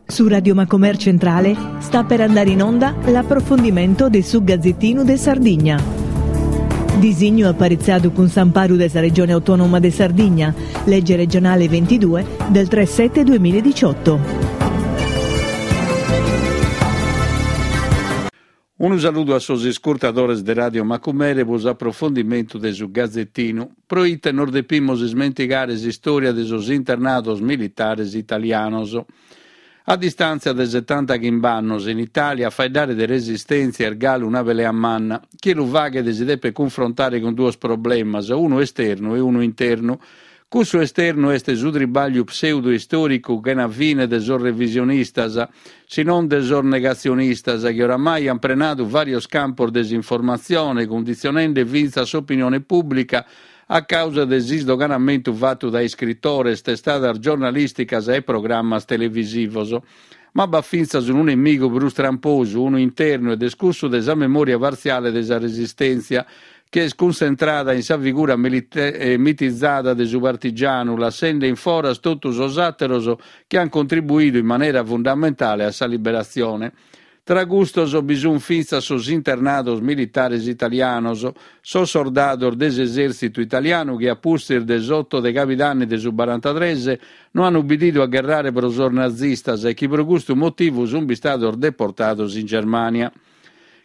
Su Radio Macomer Centrale sta per andare in onda l'approfondimento de su Gazzettinu de Sardigna. Disignu aparitziadu cun s'amparu de sa Regione Autonoma de Sardigna, Legge regionale 22 del 3 7 2018. Unu saludu a sos iscurtadores de Radio Macumere pro s'aprofondimentu de su Gazetinu. Pro ite nos depimus ismentigare s'istòria de sos internados militares italianos? A distàntzia de setantachimb'annos, in Itàlia a faeddare de resistèntzia est galu una pelea manna. Chie lu faghet si depet cunfrontare cun duos problemas, unu esternu e unu internu. Cussu esternu est su tribàgliu pseudo-istòricu chena fine de sos revisionistas, si non de sos negatzionistas, chi oramai ant prenadu vàrios campos de s'informatzione, cunditzionende fintzas s'opinione pùblica a càusa de s'isdoganamentu fatu dae iscritores, testadas giornalìsticas e programmas televisivos. Ma b'at fintzas unu nemigu prus tramposu, unu internu, ed est cussu de sa memòria partziale de sa resistèntzia, chi est cuntzentrada in sa figura mitizada de su partigianu, lassende in foras totu sos àteros chi ant contribuidu in manera fundamentale a sa liberatzione. Tra custos bi sunt fintzas sos internados militares italianos, sos sordados de s'esèrtzitu italianu chi a pustis de s'oto de cabidanni de su barantatres no ant ubbididu a gherrare pro sos nazistas e chi pro custu motivu sunt bistados deportados in Germània.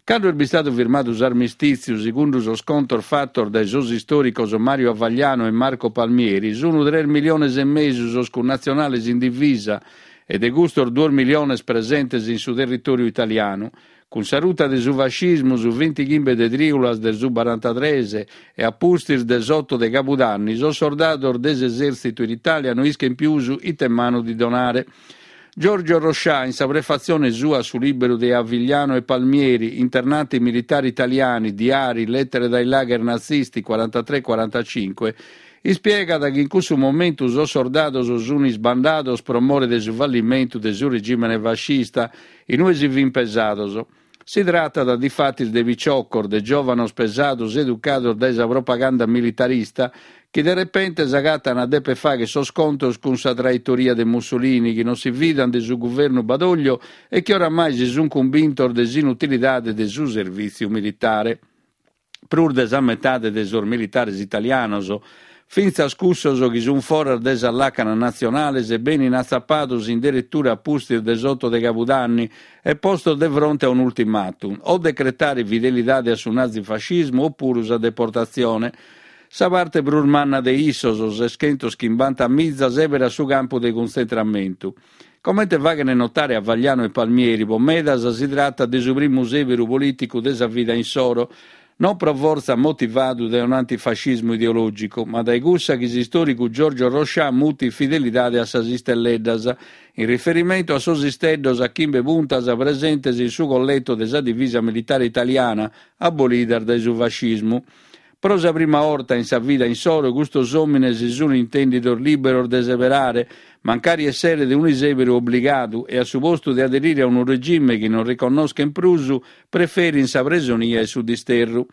Cando est bistadu firmadu s'armistìtziu, segundu sos contos fatos dae sos istòricos Mario Avagliano e Marco Palmieri, sunt tres miliones e mesu sos cunnatzionales in divisa e de custos duos miliones presentes in su territòriu italianu. Cun sa ruta de su fascismu, su bintighimbe de trìulas de su barantatres e a pustis de s'oto de cabudanni, sos sordados de s'esèrtzitu in Itàlia no ischent pius ite manu di donare. Giorgio Roscià, in sa prefatzione sua a su lìberu de Avigliano e Palmieri, Internati militari italiani, diari, lettere dai lager nazisti, 43 45, ispiegat chi in cussu momentu sos sordados sunt isbandados pro more de su fallimentu de su regìmene fascista in ue si fint pesados. Si tratat difatis de piciocos, de giòvanos pesados educados dae sa propaganda militarista, chi de repente s'agatan a deper fagher sos contos cun sa traitoria de Mussolini, chi non si fidan de su guvernu Badoglio e chi oramai si sunt cumbintos de s'inutilidade de su servìtziu militare. Prus de sa metade de sos militares italianos, fintzas cussos chi sunt foras de sas làcanas natzionales, benin atzapados in deretura a pustis de s'oto de cabudanni e postos de fronte a un'ultimatum, o decretare fidelidade a su nazifascismu opuru sa deportatzione. Sa parte prus manna de issos, seschentoschimbantamiza, sèberat su campu de cuntzentramentu. Comente faghent notare Avagliano e Palmieri, pro medas si tratat de su primu sèberu polìticu de sa vida insoro, non pro fortza motivadu dae un'antifascismu ideològicu, ma dae cussa chi s'istòricu Giorgio Roscià mutit fidelidade a sas istelleddas, in riferimentu a sos isteddos a chimbe puntas presentes in su colleto de sa divisa militare italiana, abolidas dae su fascismu. Pro sa prima 'orta in sa vida insoro custos òmines si sun intèndidos lìberos de seberare, mancari esseret un'isèberu obligadu e a su postu de aderire a unu regime chi non riconnoschen prus, preferin sa presonia e su disterru.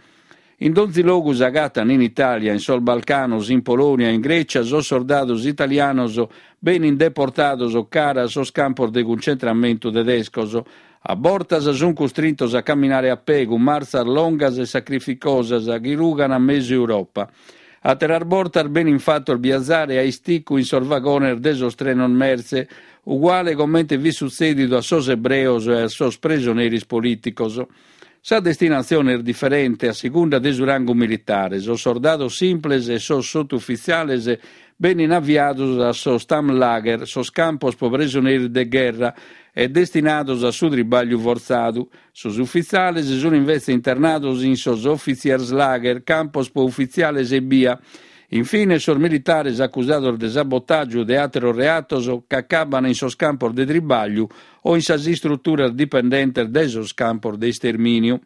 In donzi logu s'agatan in Itàlia, in sos Balcanos, in Polònia, in Grècia, sos sordados italianos benin deportados cara a sos campos de cuncentramentu tedescos, A bortas sunt custrintos a caminare a pè cun martzas longas e sacrificosas chi rugan mesu Europa. Àteras bortas benin fatos biazare a isticu in sos vagones de sos trenos mertze, uguale comente fit sutzèdidu a sos ebreos e a sos presoneris polìticos. Sa destinatzione est diferente a segunda de su rangu militare, sos sordados simples e sos sotufitziales benin aviados a sos Stammlager, sos campos pro presoneris de gherra, e destinados a su tribàgliu fortzadu. Sos ufitziales sunt invetze internados in sos Offizierslager, campos pro ufitziales ebbia. Infines sos militares acusados de sabotàgiu o de àteros reatos ch'acaban in sos campos de tribàgliu o in sas istruturas dipendentes dae sos campos de istermìniu.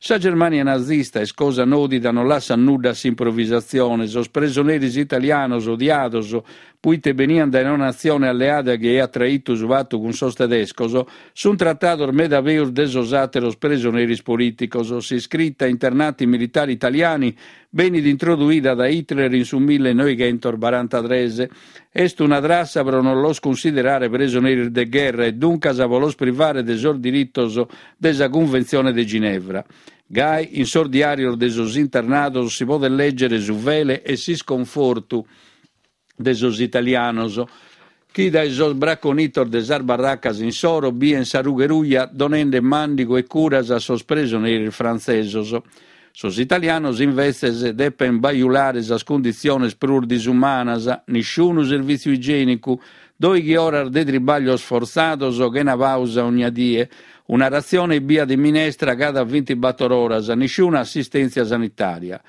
Sa Germània nazista, est cosa nòdida, non lassat nudda a s'improvisatzione. Sos presoneris italianos odiados. puite beniant dae una natzione alleada chi aiat traitu su patu cun sos tedescos, sunt tratados meda peus de sos àteros presoneris polìticos. S'iscrita Internati militari italiani benit introduida dae Hitler in su millenoighentos-barantatres. Est una trassa pro non los cunsiderare presoneris de gherra e duncas pro los privare de sos diritos de sa Cunventzione de Ginevra. Gai, in sos diàrios de sos internados si podet lègere su fele e s'isconfortu de sos italianos chi dae sos braconitos de sas barracas insoro bien sa rughe ruja donende màndigu e curas a sos presoneris frantzesos. Sos italianos invetzes depen bajulare sas cunditziones prus disumanas, nisciunu servìtziu igiènicu, dòighi oras de tribàglios fortzados chena pàusa ogna die, una ratzione ebbia de minestra cada bintibator oras, nisciuna assistèntzia sanitària.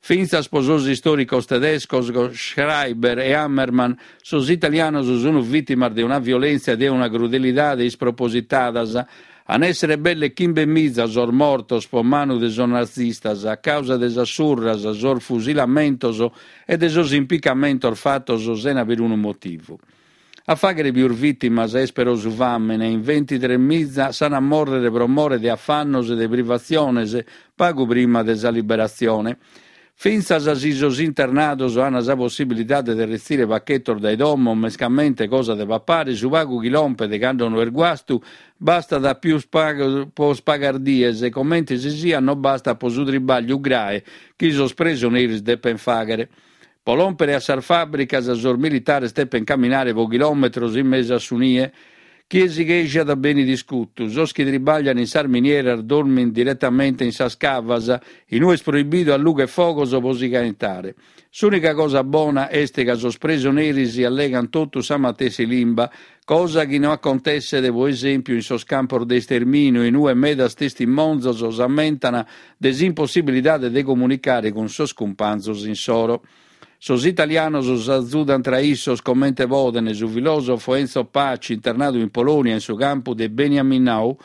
Fintzas pro sos istòricos tedescos Schreiber e Hammermann, sos italianos sunt vìtimas de una violèntzia e de una crudelidade ispropositadas. An èssere belle chimbemiza sos mortos pro manu de sos nazistas a càusa de sas surras, sos fusilamentos e de sos impicamentos fatos sena perunu motivu. A fàghere pius vìtimas est però su fàmene, in ventitremiza s'an a mòrrere pro more de afannos e de privatziones pagu prima de sa liberatzione. Fintzas si sos internados an sa possibilidade de retzire pachetos dae domo, mescamente cosa de papare, su pagu chi lompet cando no est guastu bastat pius pagu pro pagas dies, comente si siat no bastat pro su tribagliu grae chi sos presoneris depen fàghere. Pro lòmpere a sas fàbricas sos militares depent caminare pro chilòmetros in mesu a su nie. Chie si chèsciat benit iscutu. Sos chi tribaglian in sas minieras dormint diretamente in sas cavas, in ue est proibidu allugher fogos pro si caentare. S'ùnica cosa bona est ca sos presoneris allegant totus sa matessi limba, Cosa chi no acontesset, pro esèmpiu, in sos campos de istermìniu, in ue medas testimonzos s'ammentan de s'impossibilidade de comunicare cun sos cumpanzos insoro. Sos italianos s'azudan tra issos comente poden, su filòsofo Enzo Paci, internadu in Polònia in su campu de Beniaminow,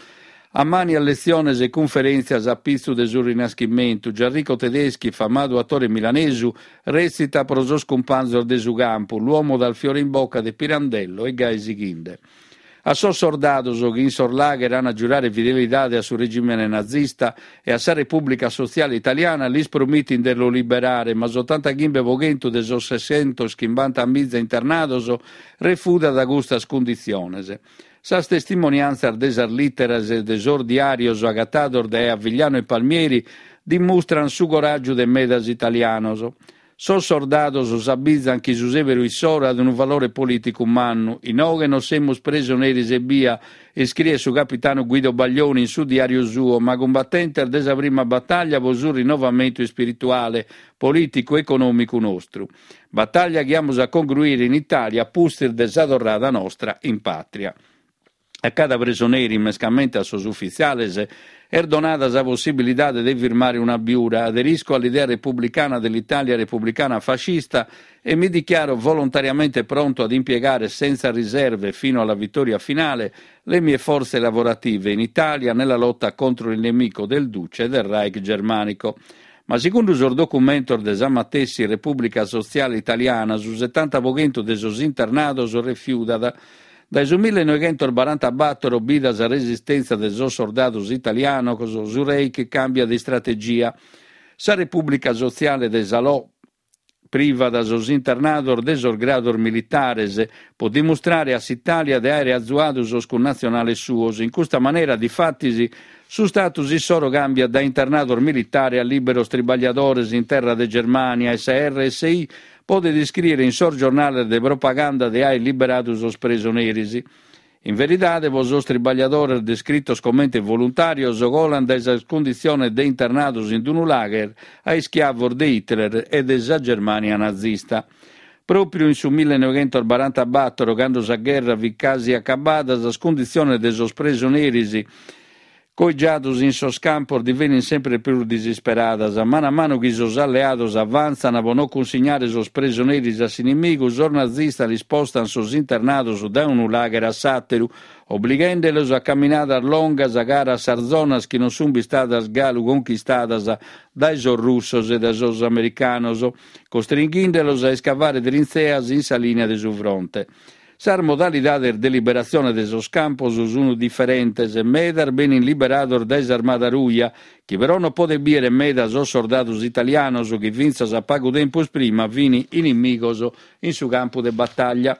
Ammàniat letziones e cunferèntzias a pitzu de su Rinaschimentu. Gianrico Tedeschi, famadu atore milanesu, rètzitat pro sos cumpanzos de su campu, L'uomo dal fiore in bocca de Pirandello e gai sighinde. A sos sordados chi in sos lager an a giurare fidelidade a su regìmene nazista e a sa Repùblica Sotziale Italiana lis promitin de los liberare, ma s'otantachimbe pro chentu de sos sescentoschimbantamìgia internados refudat custas cunditziones. Sas testimoniàntzias de sas lìteras e de sos diàrios agatados dae Avigliano e Palmieri dimustran su coràgiu de medas italianos. Sos sordados s'abizan chi su sèberu issoro at unu valore polìticu mannu. Inoghe non semus presoneris ebbia, iscriet su capitanu Guido Baglioni in su diàriu suo, ma cumbatentes de sa prima batàllia pro su rinnovamentu ispirituale, polìticu e econòmicu nostru. Batàllia chi amus a congruire in Itàlia a pustis de sa torrada nostra in pàtria. A cada presoneri, mescamente a sos ufitziales, est donada sa possibilidade de firmare un'abiura. Aderisco all'idea repubblicana dell'Italia repubblicana fascista e mi dichiaro volontariamente pronto ad impiegare senza riserve fino alla vittoria finale le mie forze lavorative in Italia nella lotta contro il nemico del Duce e del Reich germanico. Ma segundu sos documentos de sa matessi Repùblica Sotziale Italiana su setanta pro chentu de sos internados refiudat. Dae su millenoighentosbarantabator, bida sa resistèntzia de sos sordados italianos, su Reich càmbiat istrategia. Sa Repùblica Sotziale de Salò privat sos internados de sos grados militares, pro dimustrare a s'Itàlia de àere azuadu sos cunnatzionales suos. In custa manera, difatis, su status issoro càmbiat dae internados militare a lìberos tribagliadores in terra de Germània e sa RSI podet iscrìere in sos giornales de propaganda de àere liberadu sos presoneris. In veridade, pro sos tribagliadores descritos comente voluntàrios, colant dae sas cunditziones de internados in unu lager a ischiavos de Hitler e de sa Germània nazista. Pròpiu in su millenoighentosbarantabator, cando sa gherra fit casi acabada, sas cunditziones de sos presoneris. Coigiados in sos campos divenin sempre prus disisperadas. Manu a manu chi sos alleados avantzan pro no cunsignare sos presoneris a s'inimigu, sos nazistas ispostan sos internados dae unu lagher a s'àteru, oblighendelos a caminadas longas cara a sas zonas chi non sunt bistadas galu conchistadas dae sos russos e dae sos americanos, costringhindelos a iscavare trintzeas in sa lìnia de su fronte. Sas modalidades de liberatzione de sos campos sunt diferentes, medas benint liberados dae s'Armada Ruja, chi però non podet bìere meda sos sordados italianos chi fintzas a pagu tempus prima fint inimigos in su campu de batalla.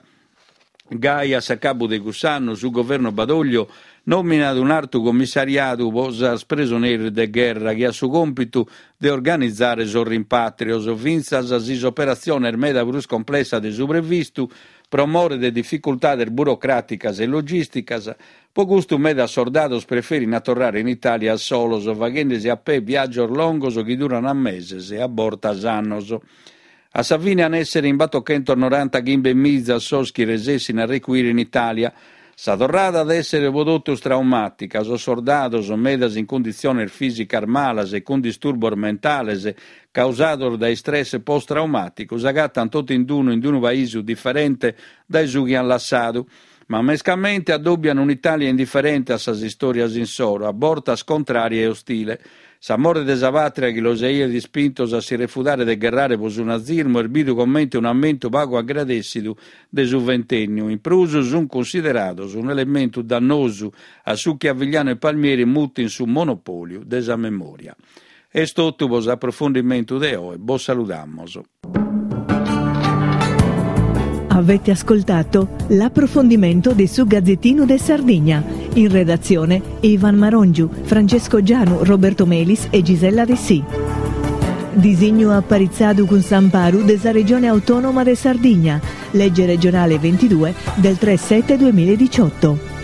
Gai a s'acabu de cuss'annu su governu Badoglio nòminat un'artu commissariadu pro sas presoneris de gherra chi at su còmpitu de organizare sos rimpàtrios, fintzas si s'operatzione est meda prus complessa de su previstu, Pro more de dificultades burocràticas e logìsticas, pro custu medas sordados preferin a torrare in Itàlia a solos, faghende·si a pè viàgios longos chi duran meses e a bortas annos. A sa fine an èssere in batochentos-norantachimbemiza sos chi resessin a recuire in Itàlia. Sa torrada at èssere pro totus traumàtica, sos sordados, medas in cunditziones fìsicas malas e cun disturbos mentales causados dae istress post-traumàticu, s'agatant totu in unu in unu paisu diferente dae su chi ant lassadu, ma mescamente addòbian un'Itàlia indiferente a sas istòrias insoro, a bortas contrària e ostile. S'amore de sa pàtria chi los aiat ispintos a si refudare de gherrare pro su nazismu est bidu comente un'ammentu pagu agradèssidu de su ventènniu, in prus sunt cunsiderados un'elementu dannosu a su chi Avigliano e Palmieri mutin su monopòliu de sa memòria. Est totu pro s'aprofundimentu de oe, bos saludamos. Avete ascoltato l'approfondimento de su Gazzettino de Sardigna. In redazione Ivan Marongiu, Francesco Gianu, Roberto Melis e Gisella Dessì. Disignu aparitzadu cun s'amparu de sa Regione Autonoma de Sardigna, legge regionale 22 del 3 7 2018.